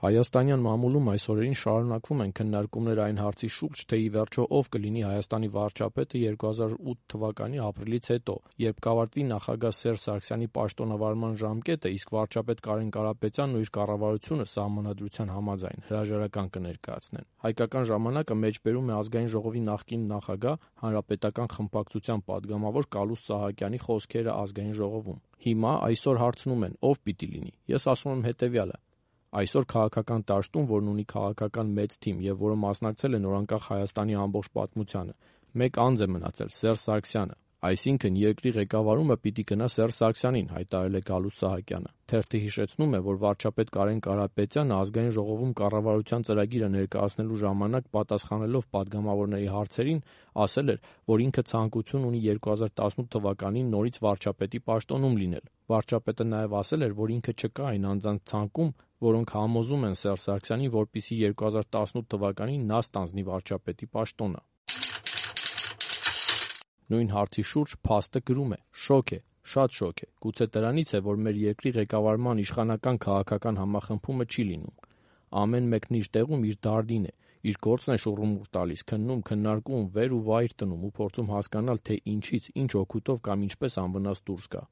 Հայաստանյան մամուլում այս օրերին շարունակվում են քննարկումներ այն հարցի շուրջ, թե ի վերջո ով կլինի Հայաստանի վարչապետը 2008 թվականի ապրիլից հետո, երբ կավարտվի նախագահ Սերժ Սարգսյանի պաշտոնավարման ժամկետը, իսկ վարչապետ Կարեն Կարապետյանն ու իր կառավարությունը Սահմանադրության համաձայն հրաժարական կներկայացնեն։ Հայկական ժամանակը մեջբերում է Ազգային ժողովի նախկին նախագահ, Հանրապետական խմբակցության падգամավոր Կալուստ Սահակյանի խոսքերը Ազգային ժողովում։ Հիմա այսօր հարցնում են՝ ով պիտի լինի։ Ես ասում եմ հետևյալը. այսօր քաղաքական դաշտում, որն ունի քաղաքական մեծ թիմ եւ որը մասնակցել է նորանկախ Հայաստանի ամբողջ պատմությանը, մեկ անձ է մնացել՝ Սերժ Սարգսյանը։ Այսինքն երկրի ղեկավարումը պիտի գնա Սերժ Սարգսյանին, հայտարարել է Գալուստ Սահակյանը։ Թերթը հիշեցնում է, որ վարչապետ Կարեն Կարապետյանը Ազգային ժողովում կառավարության ծրագիրը ներկայացնելու ժամանակ պատասխանելով падգամավորների հարցերին ասել էր, որ ինքը ցանկություն ունի 2018 թվականին նորից վարչապետի պաշտոնում լինել։ Վարչապետը նաև ասել էր, որ ինքը չկա այն անձանց ցանկում, որոնք համոզում են Սերժ Սարգսյանին, որպեսզի 2018 թվականին նա ստանձնի վարչապետի պաշտոնը։ Նույն հարցի շուրջ փաստը գրում է. շոկ է, շատ շոկ է, գուցե դրանից է, որ մեր երկրի ղեկավարման իշխանական քաղաքական համախմբումը չի լինում։ Ամեն մեկն իր տեղում իր դարդին է, իր գործն է շուռումուռ տալիս, քննում, քննարկում, վեր ու վայր տնում ու փորձում հասկանալ, թե ինչից, ինչ օգուտով կամ ինչպես անվնաս դուրս գա։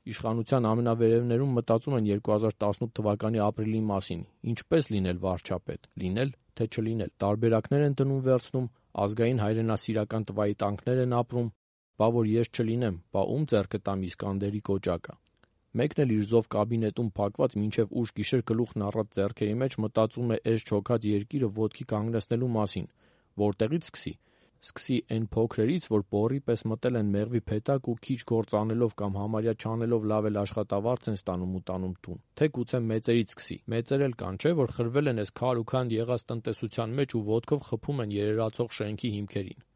Իշխանության ամենավերևներում մտածում են 2018 թվականի ապրիլի մասին, ինչպես լինել վարչապետ, լինել, թե չլինել, տարբերակներ են դնում վերցնում, ազգային հայրենասիրական տվայտանքներ են ապրում, բա որ ես չլինեմ, բա ում ձեռքը տամ Իսկանդերի կոճակը։ Մեկն էլ իր զով կաբինետում փակված մինչև ուշ գիշեր գլուխն առած ձեռքերի մեջ մտածում է էս չոքած երկիրը ոտքի կանգնեցնելու մասին, որտեղից սկսի։ Սկսի այն փոքրերից, որ բոռի պես մտել են մեղվի փեթակ ու քիչ գործ անելով կամ համարյա չանելով լավ էլ աշխատավարձ են ստանում ու տանում տուն, թե գուցե մեծերից սկսի։ Մեծեր էլ կան, չէ, որ խրվել են այս քար ու քանդ եղած տնտեսության մեջ ու ոտքով խփում են երերացող շենքի հիմքերին։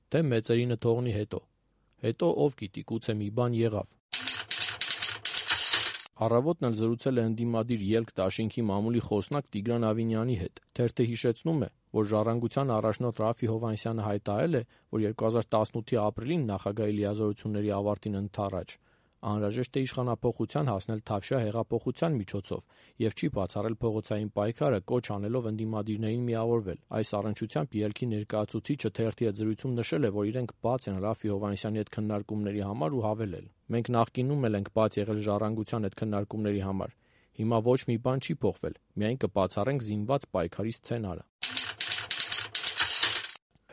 Թե մեծերինը թողնի հետո ով գիտի, գուցե մի բան եղավ։ Առավոտն էլ զրուցել է ընդդիմադիր ելք դաշինքի մամուլի խոսնակ Տիգրան Ավինյանի հետ։ Թերթը հիշեցնում է, որ Ժառանգության առաջնորդ Ռաֆֆի Հովհաննիսյանը հայտարարել է, որ 2018-ի ապրիլին նախագահի լիազորությունների ավարտին ընդառաջ անհրաժեշտ է իշխանափոխության հասնել Թավշյա հեղափոխության միջոցով եւ չի բացառել փողոցային պայքարը, կոչ անելով ընդդիմադիրներին միավորվել։ Այս առնչությամբ ելքի ներկայացուցիչը թերթի հետ զրույցում նշել է, որ իրենք բաց են Ռաֆֆի Հովհաննիսյանի հետ քննարկումների համար ու հավելել. մենք նախկինում էլ ենք բաց եղել Ժառանգության հետ քննարկումների համար։ Հիմա ոչ մի բան չի փոխվել, միայն կբացառենք զինված պայքարի սցենարը։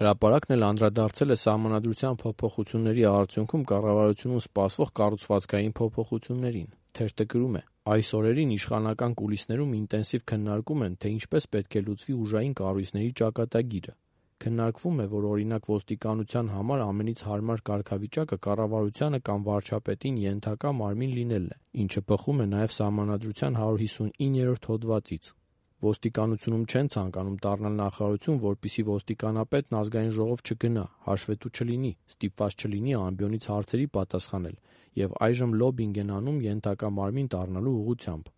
Հրապարակն էլ անդրադարձել է Սահմանադրության փոփոխությունների արդյունքում կառավարությունում սպասվող կառուցվածքային փոփոխություններին։ Թերթը գրում է. այս օրերին իշխանական կուլիսներում ինտենսիվ քննարկում են, թե ինչպես պետք է լուծվի ուժային կառույցների ճակատագիրը։ Քննարկվում է, որ օրինակ ոստիկանության համար ամենից հարմար կարգավիճակը կառավարությանը կամ վարչապետին ենթակա մարմին լինելն է, ինչը բխում է նաև Սահմանադրության 159-րդ հոդվածից։ Ոստիկանությունում չեն ցանկանում դառնալ նախարարություն, որպեսզի ոստիկանապետն Ազգային ժողով չգնա, հաշվետու չլինի, ստիպված չլինի ամբիոնից հարցերի պատասխանել, եւ այժմ լոբինգ են անում ենթակա մարմին դառնալու ուղղությամբ։